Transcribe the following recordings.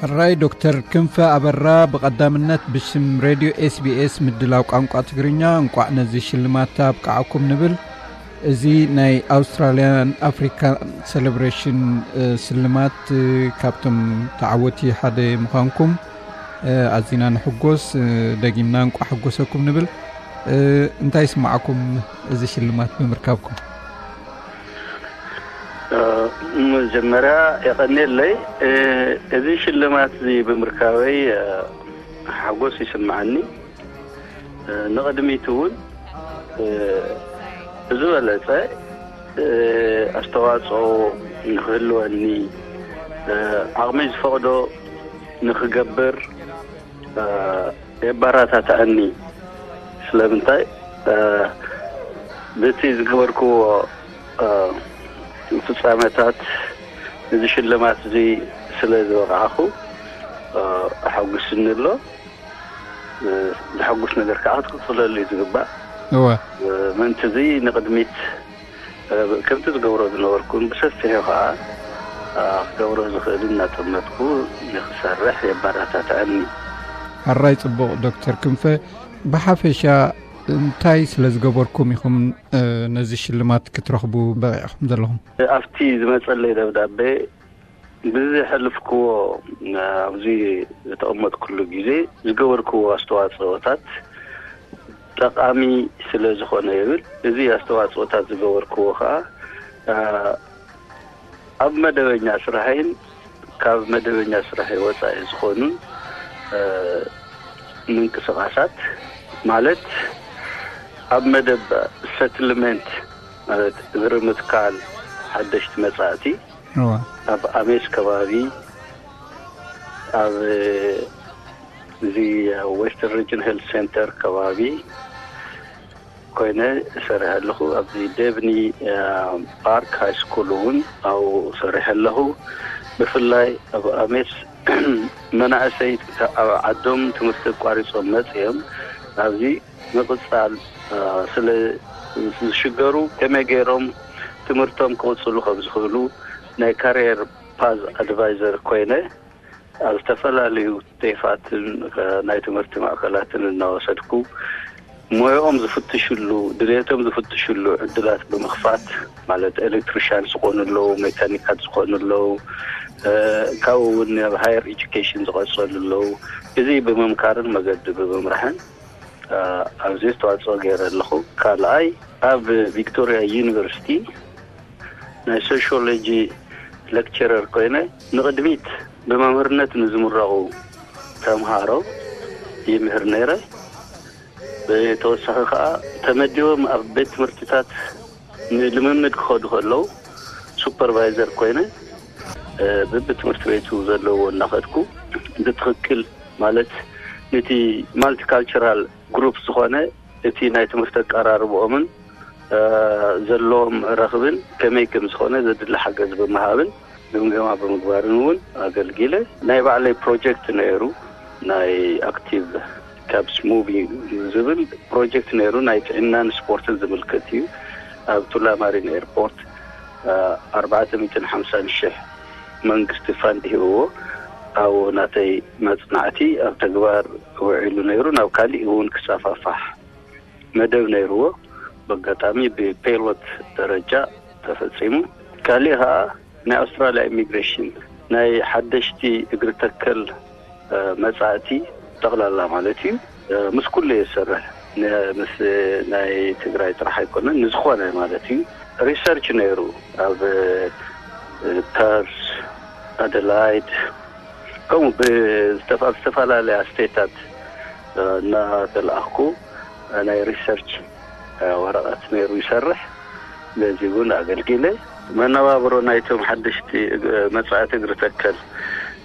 ሕራይ ዶክተር ክንፈ ኣበራ፣ ብቐዳምነት ብሽም ሬድዮ ኤስቢኤስ ምድላው ቋንቋ ትግርኛ እንቋዕ ነዚ ሽልማት ኣብቃዓኩም ንብል። እዚ ናይ ኣውስትራልያን ኣፍሪካ ሴሌብሬሽን ሽልማት ካብቶም ተዓወቲ ሓደ ምዃንኩም ኣዚና ንሕጎስ። ደጊምና እንቋዕ ሕጎሰኩም ንብል። እንታይ ይስማዓኩም እዚ ሽልማት ብምርካብኩም? መጀመርያ የቐንየለይ። እዚ ሽልማት እዚ ብምርካበይ ሓጎስ ይስምዓኒ። ንቕድሚት እውን ዝበለፀ ኣስተዋፅኦ ንክህልወኒ ዓቕሚ ዝፈቕዶ ንክገብር የባራታታኣኒ። ስለምንታይ ብቲ ዝገበርክዎ ፍፃመታት እዚ ሽልማት እዚ ስለ ዝበቃዕኹ ኣሐጉስኒ ኣሎ። ዘሐጉስ ነገር ከዓ ክትቅፅለሉ እዩ ዝግባእ። እወ ምእንቲ እዚ ንቅድሚት ከምቲ ዝገብሮ ዝነበርኩን ብሰፊሑ ከዓ ክገብሮ ዝኽእል እናጠመትኩ ንክሰርሕ የባራታታእኒ። ሕራይ ፅቡቕ ዶክተር ክንፈ፣ ብሓፈሻ እንታይ ስለ ዝገበርኩም ኢኹም ነዚ ሽልማት ክትረኽቡ በቂዕኹም ዘለኹም? ኣብቲ ዝመፀለይ ደብዳቤ ብዘሕልፍክዎ ኣብዚ ዝተቐመጥኩሉ ግዜ ዝገበርክዎ ኣስተዋፅኦታት ጠቓሚ ስለ ዝኾነ ይብል። እዚ ኣስተዋፅኦታት ዝገበርክዎ ከዓ ኣብ መደበኛ ስራሐይን ካብ መደበኛ ስራሐይ ወፃኢ ዝኾኑ ምንቅስቃሳት ማለት ኣብ መደብ ሰትልመንት ማለት እግሪ ምትካል ሓደሽቲ መፃእቲ ኣብ ኣሜስ ከባቢ ኣብ እዚ ዌስተርን ሪጅን ሄልት ሴንተር ከባቢ ኮይነ እሰርሕ ኣለኹ። ኣብዚ ዴቭኒ ፓርክ ሃይ ስኩል እውን ኣብኡ እሰርሕ ኣለኹ። ብፍላይ ኣብ ኣሜስ መናእሰይ ኣብ ዓዶም ትምህርቲ ኣቋሪፆም መፅኦም ኣብዚ ምቕፃል ስለ ዝሽገሩ ከመይ ገይሮም ትምህርቶም ክቕፅሉ ከም ዝኽእሉ ናይ ካሪየር ፓዝ ኣድቫይዘር ኮይነ ኣብ ዝተፈላለዩ ቴፋትን ናይ ትምህርቲ ማእከላትን እናወሰድኩ ሞያኦም ዝፍትሽሉ ድሌቶም ዝፍትሽሉ ዕድላት ብምኽፋት ማለት ኤሌክትሪሻን ዝኾኑ ኣለዉ፣ ሜካኒካት ዝኾኑ ኣለዉ፣ ካብኡ እውን ኣብ ሃየር ኤጁኬሽን ዝቐፀሉ ኣለዉ። እዚ ብምምካርን መገዲ ብምምራሕን ኣብዚ ኣስተዋፅኦ ገይረ ኣለኹ። ካልኣይ ኣብ ቪክቶሪያ ዩኒቨርሲቲ ናይ ሶሽዮሎጂ ሌክቸረር ኮይነ ንቕድሚት ብመምህርነት ንዝምረቑ ተምሃሮ ይምህር ነይረ። ብተወሳኺ ከዓ ተመዲቦም ኣብ ቤት ትምህርትታት ንልምምድ ክኸዱ ከለዉ ሱፐርቫይዘር ኮይነ ብብትምህርቲ ቤቱ ዘለዎ እናኸድኩ ብትኽክል ማለት ነቲ ማልቲካልቸራል ግሩፕ ዝኾነ እቲ ናይ ትምህርቲ ኣቀራርብኦምን ዘለዎም ረኽብን ከመይ ከም ዝኾነ ዘድሊ ሓገዝ ብምሃብን ግምገማ ብምግባርን እውን ኣገልጊለ። ናይ ባዕለይ ፕሮጀክት ነይሩ፣ ናይ ኣክቲቭ ካፕስ ሙቪ ዝብል ፕሮጀክት ነይሩ፣ ናይ ጥዕናን ስፖርትን ዝምልከት እዩ። ኣብ ቱላማሪን ኤርፖርት ኣርባዕተ ሚእትን ሓምሳን ሽሕ መንግስቲ ፋንድ ሂብዎ ኣብኡ ናተይ መፅናዕቲ ኣብ ተግባር ውዒሉ ነይሩ። ናብ ካሊእ እውን ክሰፋፋሕ መደብ ነይርዎ። በጋጣሚ ብፔሎት ደረጃ ተፈፂሙ። ካሊእ ከዓ ናይ ኣውስትራልያ ኢሚግሬሽን ናይ ሓደሽቲ እግሪ ተከል መፃእቲ ጠቕላላ ማለት እዩ። ምስ ኩሉ እየ ዝሰርሕ፣ ምስ ናይ ትግራይ ጥራሕ ኣይኮነን፣ ንዝኾነ ማለት እዩ። ሪሰርች ነይሩ ኣብ ፐርስ፣ ኣደላይድ ከምኡ ኣብ ዝተፈላለያ ስቴታት እናተለኣኽኩ ናይ ሪሰርች ወረቐት ነይሩ ይሰርሕ። ነዚ እውን ኣገልጊለ። መነባብሮ ናይቶም ሓደሽቲ መፃእቲ እግሪ ተከል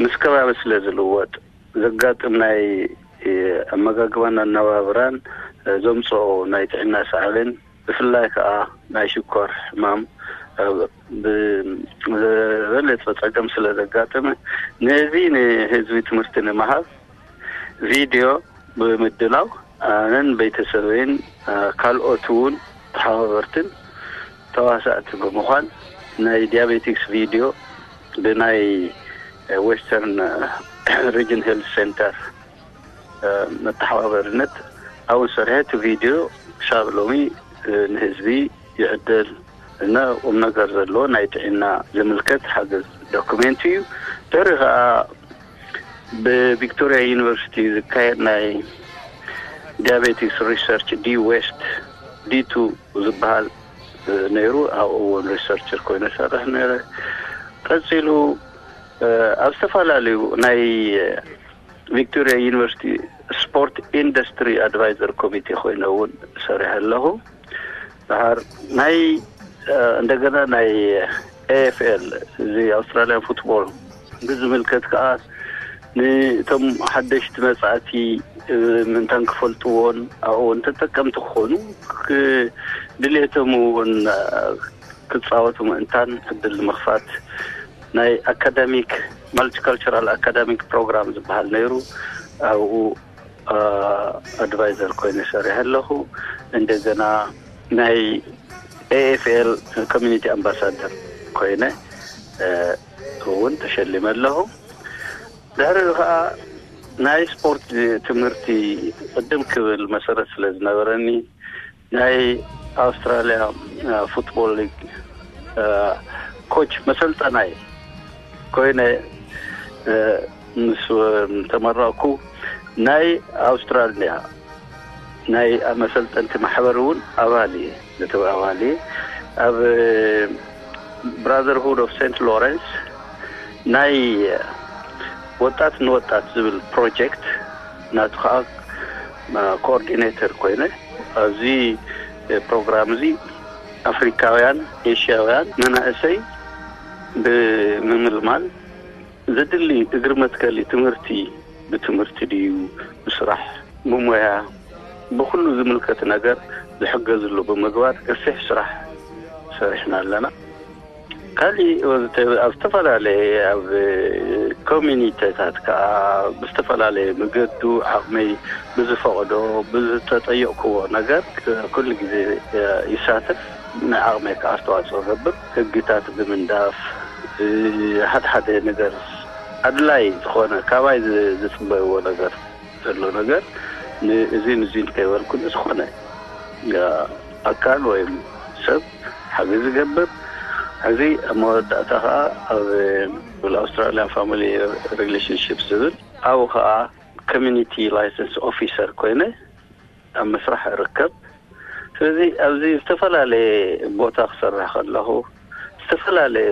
ምስ ከባቢ ስለ ዝልወጥ ዘጋጥም ናይ ኣመጋግባን ኣነባብራን ዘምፅኦ ናይ ጥዕና ሳዕቤን ብፍላይ ከዓ ናይ ሽኮር ሕማም ብዝበለፀ ፀገም ስለ ዘጋጠመ ነዚ ንህዝቢ ትምህርቲ ንምሃብ ቪድዮ ብምድላው ኣነን ቤተሰበይን ካልኦት እውን ተሓባበርትን ተዋሳእቲ ብምዃን ናይ ዲያቤቲክስ ቪድዮ ብናይ ዌስተርን ሪጅን ሄልት ሴንተር መተሓባበርነት ኣብኡ ሰሪሐ እቲ ቪድዮ ክሳብ ሎሚ ንህዝቢ ይዕደል እና ቁም ነገር ዘለዎ ናይ ጥዕና ዝምልከት ሓገዝ ዶኩሜንት እዩ። ድሕሪ ከዓ ብቪክቶሪያ ዩኒቨርሲቲ ዝካየድ ናይ ዲያቤቲስ ሪሰርች ዲ ዌስት ዲ ቱ ዝበሃል ነይሩ። ኣብኡ እውን ሪሰርቸር ኮይነ ሰርሕ ነረ። ቀፂሉ ኣብ ዝተፈላለዩ ናይ ቪክቶሪያ ዩኒቨርሲቲ ስፖርት ኢንዱስትሪ ኣድቫይዘር ኮሚቴ ኮይነ እውን ሰሪሐ ኣለኹ። ድሓር ናይ እንደገና ናይ ኤኤፍኤል እዚ ኣውስትራሊያን ፉትቦል ብዝምልከት ከዓ ንእቶም ሓደሽቲ መፃእቲ ምንታን ክፈልጥዎን ኣብኡ እውን ተጠቀምቲ ክኾኑ ድሌቶም እውን ክፃወቱ ምእንታን ዕድል ንምኽፋት ናይ ኣካዳሚክ ማልቲካልቸራል ኣካዳሚክ ፕሮግራም ዝበሃል ነይሩ። ኣብኡ ኣድቫይዘር ኮይነ ሰሪሐ ኣለኹ። እንደገና ናይ ኤኤፍኤል ኮሚኒቲ ኣምባሳደር ኮይነ እውን ተሸሊመ ኣለኹ። ድሕሪ ከዓ ናይ ስፖርት ትምህርቲ ቅድም ክብል መሰረት ስለ ዝነበረኒ ናይ ኣውስትራሊያ ፉትቦል ሊግ ኮች መሰልጠናይ ኮይነ ምስ ተመረቕኩ ናይ ኣውስትራሊያ ናይ መሰልጠንቲ ማሕበር እውን ኣባል እየ። ነቲ ኣባል እየ ኣብ ብራዘርሁድ ኦፍ ሴንት ሎረንስ ናይ ወጣት ንወጣት ዝብል ፕሮጀክት ናቱ ከዓ ኮኦርዲኔተር ኮይነ ኣብዚ ፕሮግራም እዚ ኣፍሪካውያን፣ ኤሽያውያን መናእሰይ ብምምልማል ዘድሊ እግሪ መትከሊ ትምህርቲ ብትምህርቲ ድዩ ብስራሕ ብሞያ ብኩሉ ዝምልከት ነገር ዝሕገዝሉ ብምግባር ገፊሕ ስራሕ ሰሪሕና ኣለና። ካሊእ ኣብ ዝተፈላለየ ኣብ ኮሚኒቴታት ከዓ ብዝተፈላለየ መገዱ ዓቕመይ ብዝፈቕዶ ብዝተጠየቕክዎ ነገር ኩሉ ግዜ ይሳተፍ። ናይ ዓቕመይ ከዓ ኣስተዋፅኦ ገብር ህግታት ብምንዳፍ ሓደ ሓደ ነገር ኣድላይ ዝኾነ ካባይ ዝፅበይዎ ነገር ዘሎ ነገር ንእዚን እዚን ከይበልኩ ንዝኾነ ኣካል ወይም ሰብ ሓገዝ ዝገብር። እዚ ኣብ መወዳእታ ከዓ ኣብ ኣውስትራሊያን ፋሚሊ ሪሌሽንሽፕ ዝብል ኣብኡ ከዓ ኮሚኒቲ ላይሰንስ ኦፊሰር ኮይነ ኣብ ምስራሕ እርከብ። ስለዚ ኣብዚ ዝተፈላለየ ቦታ ክሰርሕ ከለኹ ዝተፈላለየ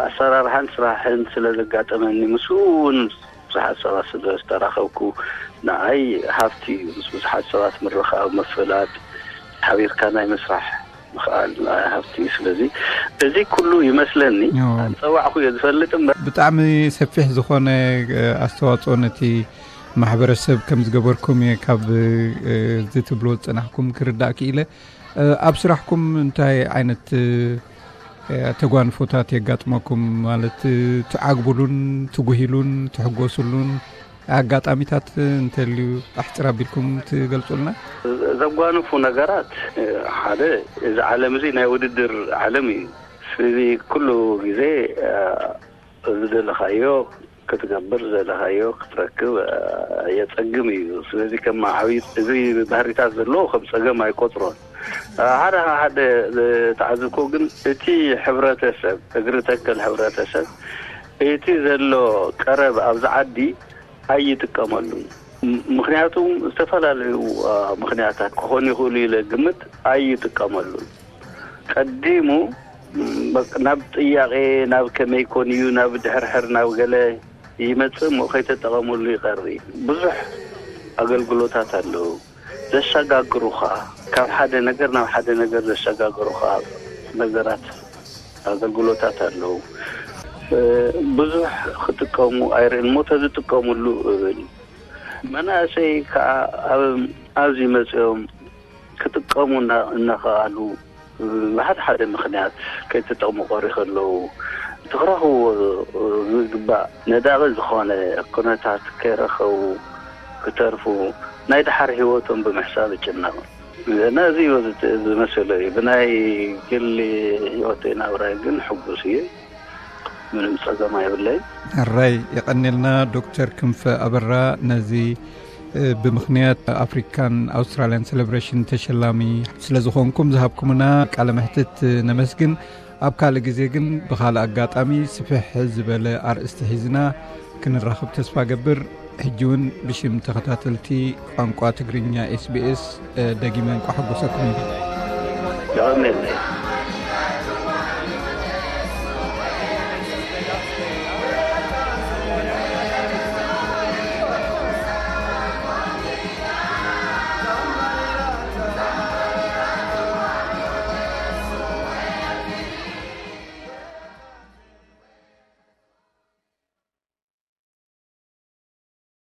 ኣሰራርሓን ስራሕን ስለ ዘጋጠመኒ ምስ እውን ብዙሓት ሰባት ስለ ዝተራኸብኩ ንዓይ ሃፍቲ እዩ። ምስ ብዙሓት ሰባት ምርኻብ፣ ምፍላጥ፣ ሓቢርካ ናይ ምስራሕ ምኽኣል ንዓይ ሃፍቲ እዩ። ስለዚ እዚ ኩሉ ይመስለኒ ኣንፀዋዕኩ እየ ዝፈልጥ እምበር። ብጣዕሚ ሰፊሕ ዝኾነ ኣስተዋፅኦ ነቲ ማሕበረሰብ ከም ዝገበርኩም እየ ካብ እዚ ትብሎ ዝፀናሕኩም ክርዳእ ክኢለ። ኣብ ስራሕኩም እንታይ ዓይነት ተጓንፎታት የጋጥመኩም? ማለት ትዓግብሉን ትጉሂሉን ትሕጎስሉን ኣጋጣሚታት እንተልዩ ኣሕፅር ኣቢልኩም ትገልፁልና? ዘጓንፉ ነገራት ሓደ፣ እዚ ዓለም እዚ ናይ ውድድር ዓለም እዩ። ስለዚ ኩሉ ግዜ ዝደለኻዮ ክትገብር ዝደለኻዮ ክትረክብ የፀግም እዩ። ስለዚ ከም ዓብዪ እዚ ባህሪታት ዘለዎ ከም ፀገም ኣይቆፅሮን። ሓደ ሓደ ዝተዓዘብኩ ግን እቲ ሕብረተሰብ እግሪ ተከል ሕብረተሰብ እቲ ዘሎ ቀረብ ኣብዚ ዓዲ ኣይጥቀመሉን። ምክንያቱ ዝተፈላለዩ ምክንያታት ክኾኑ ይኽእሉ ኢለ ግምት ኣይጥቀመሉን። ቀዲሙ ናብ ጥያቄ ናብ ከመይ ኮን እዩ ናብ ድሕርሕር ናብ ገለ ይመጽእ እሞ ከይተጠቐሙሉ ይቐሪ። ብዙሕ ኣገልግሎታት ኣለዉ ዘሰጋግሩኻ፣ ካብ ሓደ ነገር ናብ ሓደ ነገር ዘሰጋግሩኻ ነገራት ኣገልግሎታት ኣለዉ። ብዙሕ ክጥቀሙ ኣይርእን እሞ ተዝጥቀሙሉ እብል። መናእሰይ ከዓ ኣብዚ መፅኦም ክጥቀሙ እናኸኣሉ ብሓደ ሓደ ምኽንያት ከይተጠቕሙ ቀሪ ከለዉ እቲ ክረኽብዎ ዝግባእ ነዳቒ ዝኾነ ኩነታት ከይረኸቡ ክተርፉ ናይ ደሓር ህይወቶም ብምሕሳብ እጭነቕ። ነዚ እዩ ዝመሰሎ እዩ። ብናይ ግሊ ህይወተይ ናብራይ ግን ሕጉስ እየ። ምንም ጸገም ኣይብለይን። ሕራይ የቐኔልና ዶክተር ክንፈ ኣበራ፣ ነዚ እ፣ ብምኽንያት ኣፍሪካን ኣውስትራልያን ሴሌብሬሽን ተሸላሚ ስለ ዝኾንኩም ዝሃብኩምና ቃለ መሕትት ነመስግን። ኣብ ካልእ ግዜ ግን ብኻልእ ኣጋጣሚ ስፍሕ ዝበለ ኣርእስቲ ሒዝና ክንራኸብ ተስፋ ገብር። ሕጂ እውን ብሽም ተኸታተልቲ ቋንቋ ትግርኛ ኤስቢኤስ ደጊመ እንቋ ሓጎሰኩም ይብል። የቐኔልና።